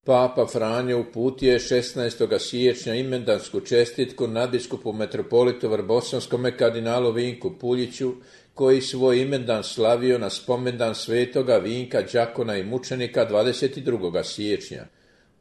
Papa Franjo uputio je 16. siječnja imendansku čestitku nadbiskupu metropolitu Vrbosanskome kardinalu Vinku Puljiću, koji svoj imendan slavio na spomendan svetoga Vinka, đakona i mučenika 22. siječnja.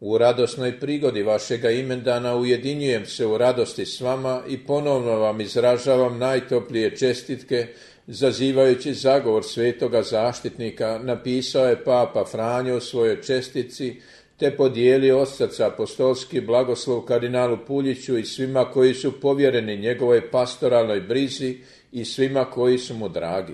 U radosnoj prigodi vašega imendana ujedinjujem se u radosti s vama i ponovno vam izražavam najtoplije čestitke, zazivajući zagovor svetoga zaštitnika, napisao je Papa Franjo u svojoj čestitci, te podijelio od srca apostolski blagoslov kardinalu Puljiću i svima koji su povjereni njegovoj pastoralnoj brizi i svima koji su mu dragi.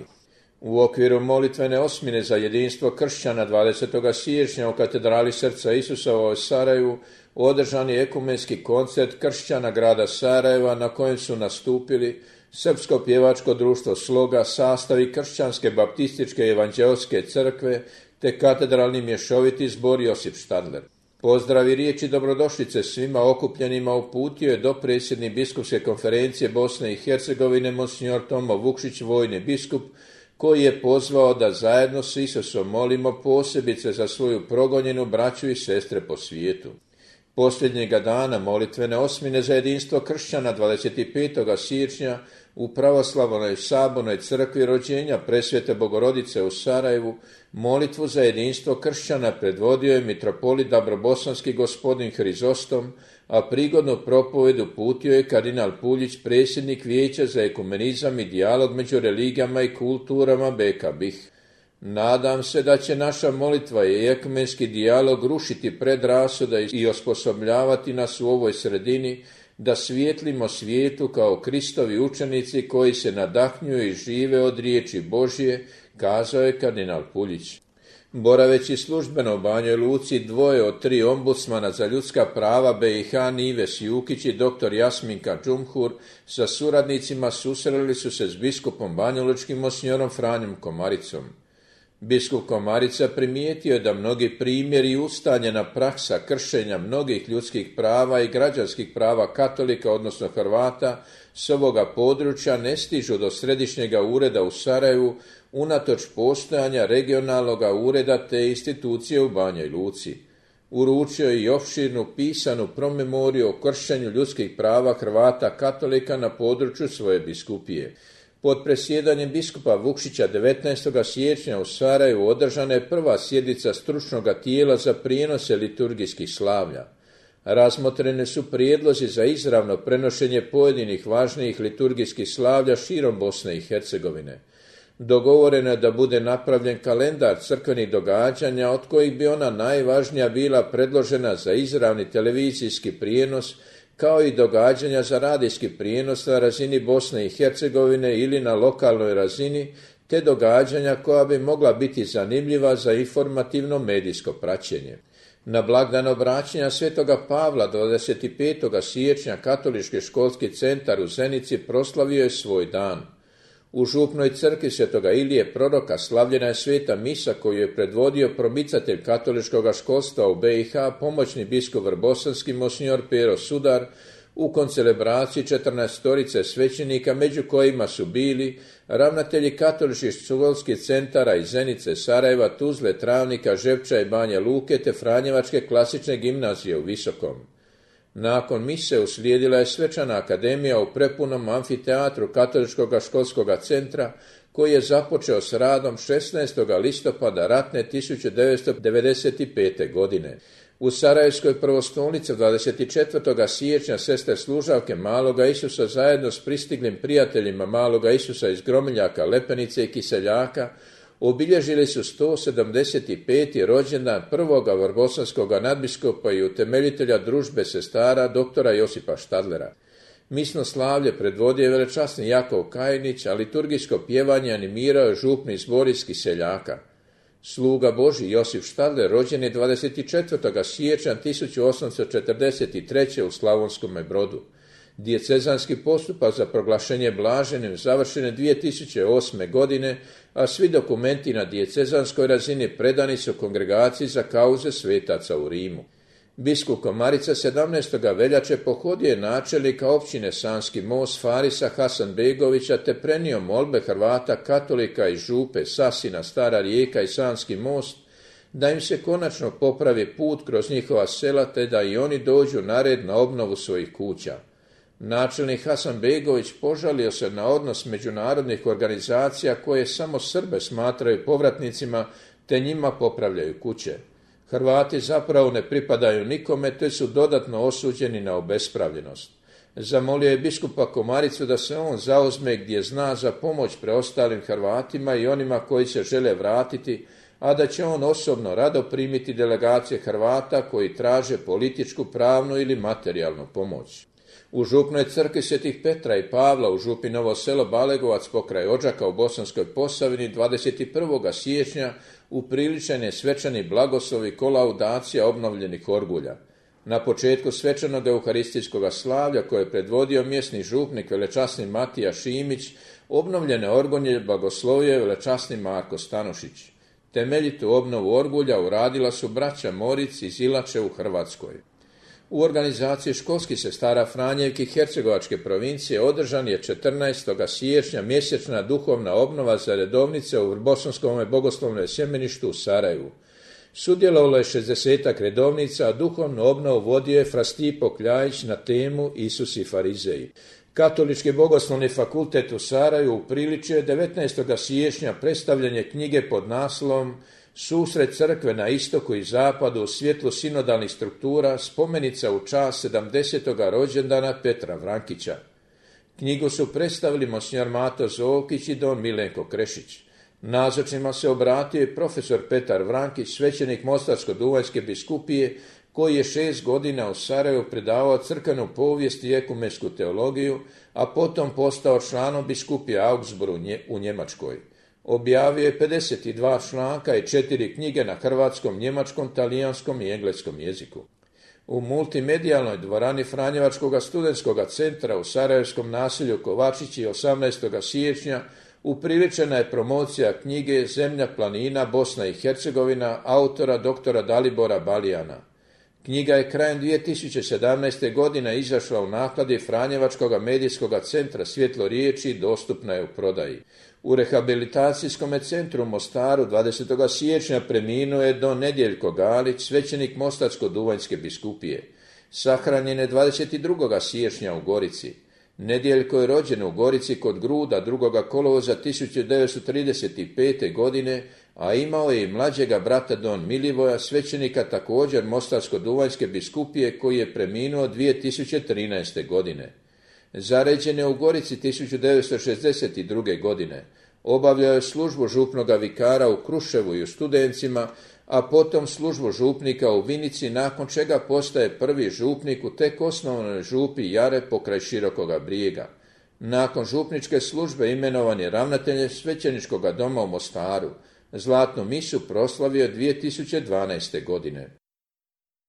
U okviru molitvene osmine za jedinstvo kršćana 20. siječnja u katedrali Srca Isusova u Sarajevu održan je ekumenski koncert kršćana grada Sarajeva, na kojem su nastupili Srpsko pjevačko društvo Sloga, sastavi Kršćanske baptističke evanđelske crkve te katedralni mješoviti zbor Josip Štadler. Pozdrav i riječi dobrodošlice svima okupljenima uputio je dopredsjednik biskupske konferencije Bosne i Hercegovine monsignor Tomo Vukšić, vojni biskup, koji je pozvao da zajedno s Isusom molimo posebice za svoju progonjenu braću i sestre po svijetu. Posljednjega dana molitvene osmine za jedinstvo kršćana 25. siječnja u pravoslavnoj sabornoj crkvi rođenja Presvete Bogorodice u Sarajevu molitvu za jedinstvo kršćana predvodio je mitropolit Dabrobosanski gospodin Hrizostom, a prigodnu propoved uputio je kardinal Puljić, predsjednik Vijeća za ekumenizam i dijalog među religijama i kulturama BK BiH. Nadam se da će naša molitva i ekumenski dijalog rušiti predrasude i osposobljavati nas u ovoj sredini da svijetlimo svijetu kao Kristovi učenici koji se nadahnjuju i žive od riječi Božje, kazao je kardinal Puljić. Boraveći službeno u Banjoj Luci, 2 od 3 ombudsmana za ljudska prava BiH Nives Jukić i dr. Jasminka Džumhur sa suradnicima susreli su se s biskupom banjalučkim monsignorom Franjom Komaricom. Biskup Komarica primijetio je da mnogi primjeri i ustaljena praksa kršenja mnogih ljudskih prava i građanskih prava katolika, odnosno Hrvata, s ovoga područja ne stižu do središnjega ureda u Sarajevu, unatoč postojanja regionalnog ureda te institucije u Banjoj Luci. Uručio je i opširnu pisanu promemoriju o kršenju ljudskih prava Hrvata katolika na području svoje biskupije. Pod presjedanjem biskupa Vukšića 19. siječnja u Sarajevu održana je prva sjednica stručnog tijela za prijenose liturgijskih slavlja. Razmotrene su prijedlozi za izravno prenošenje pojedinih važnijih liturgijskih slavlja širom Bosne i Hercegovine. Dogovoreno je da bude napravljen kalendar crkvenih događanja, od kojih bi ona najvažnija bila predložena za izravni televizijski prijenos, kao i događanja za radijski prijenos na razini Bosne i Hercegovine ili na lokalnoj razini, te događanja koja bi mogla biti zanimljiva za informativno medijsko praćenje. Na blagdan obraćanja Svetoga Pavla 25. siječnja Katolički školski centar u Zenici proslavio je svoj dan. U župnoj crkvi Svetoga Ilije Proroka slavljena je sveta misa koju je predvodio promicatelj katoličkog školstva u BiH, pomoćni biskup vrbosanski monsignor Pero Sudar, u koncelebraciji 14 svećenika, među kojima su bili ravnatelji katoličkih školskih centara iz Zenice, Sarajeva, Tuzle, Travnika, Žepča i Banja Luke te Franjevačke klasične gimnazije u Visokom. Nakon mise uslijedila je svečana akademija u prepunom amfiteatru Katoličkog školskog centra, koji je započeo s radom 16. listopada ratne 1995. godine. U Sarajevskoj prvostolnici 24. siječnja sestre služavke Maloga Isusa zajedno s pristiglim prijateljima Maloga Isusa iz Gromiljaka, Lepenice i Kiseljaka obilježili su 175. rođendan prvoga vrbosanskog nadbiskupa i utemeljitelja družbe sestara doktora Josipa Štadlera. Misno slavlje predvodio je velečasni Jakov Kajnić, a liturgijsko pjevanje animirao je župni zbor iz Kiseljaka. Sluga Božji Josip Štadler rođen je 24. siječnja 1843. u Slavonskome Brodu. Dijecezanski postupak za proglašenje blaženim završen je 2008. godine, a svi dokumenti na dijecezanskoj razini predani su kongregaciji za kauze svetaca u Rimu. Biskup Komarica 17. veljače pohodio je načelnika općine Sanski Most Farisa Hasanbegovića te prenio molbe Hrvata katolika iz župe Sasina, Stara Rijeka i Sanski Most da im se konačno popravi put kroz njihova sela te da i oni dođu na red na obnovu svojih kuća. Načelnik Hasanbegović požalio se na odnos međunarodnih organizacija koje samo Srbe smatraju povratnicima te njima popravljaju kuće. Hrvati zapravo ne pripadaju nikome te su dodatno osuđeni na obespravljenost. Zamolio je biskupa Komaricu da se on zauzme gdje zna za pomoć preostalim Hrvatima i onima koji se žele vratiti, a da će on osobno rado primiti delegacije Hrvata koji traže političku, pravnu ili materijalnu pomoć. U župnoj crkvi Svetih Petra i Pavla u župi Novo selo Balegovac pokraj Odžaka u Bosanskoj Posavini 21. siječnja upriličen je svečani blagoslov i kolaudacija obnovljenih orgulja. Na početku svečanog euharistijskog slavlja koje je predvodio mjesni župnik velečasni Matija Šimić, obnovljene orgulje blagoslovio je velečasni Marko Stanošić. Temeljitu obnovu orgulja uradila su braća Moric iz Ilače u Hrvatskoj. U organizaciji školskih sestara Franjevki Hercegovačke provincije održan je 14. siječnja mjesečna duhovna obnova za redovnice u Bosanskom bogoslovnom sjemeništu u Sarajevu. Sudjelovalo je 60 redovnica, a duhovnu obnovu vodio je fra Stipo Kljajić na temu Isus i farizeji. Katolički bogoslovni fakultet u Sarajevu upriličio je 19. siječnja predstavljanje knjige pod naslovom Susret crkve na istoku i zapadu u svjetlu sinodalnih struktura, spomenica u čast 70. rođendana Petra Vrankića. Knjigu su predstavili monsignor Mato Zovkić i don Milenko Krešić. Nazočnima se obratio i profesor Petar Vrankić, svećenik Mostarsko-duvanjske biskupije, koji je 6 godina u Sarajevu predavao crkvenu povijest i ekumensku teologiju, a potom postao članom biskupije Augsburg u Njemačkoj. Objavio je 52 članka i 4 knjige na hrvatskom, njemačkom, talijanskom i engleskom jeziku. U multimedijalnoj dvorani Franjevačkog studentskog centra u sarajevskom naselju Kovačići 18. siječnja upriličena je promocija knjige Zemlja planina Bosna i Hercegovina autora dr. Dalibora Balijana. Knjiga je krajem 2017. godine izašla u nakladi Franjevačkog medijskog centra Svjetlo riječi i dostupna je u prodaji. U rehabilitacijskom centru u Mostaru 20. siječnja preminuo je don Nedjeljko Galić, svećenik Mostarsko-duvanjske biskupije. Sahranjen je 22. siječnja u Gorici. Nedjeljko je rođen u Gorici kod Gruda 2. kolovoza 1935. godine, a imao je i mlađega brata don Milivoja, svećenika također Mostarsko-duvanjske biskupije, koji je preminuo 2013. godine. Zaređen je u Gorici 1962. godine. Obavljao je službu župnoga vikara u Kruševu i u Studencima, a potom službu župnika u Vinici, nakon čega postaje prvi župnik u tek osnovanoj župi Jare pokraj Širokoga Brijega. Nakon župničke službe imenovan je ravnateljem svećeničkog doma u Mostaru. Zlatnu misu proslavio 2012. godine.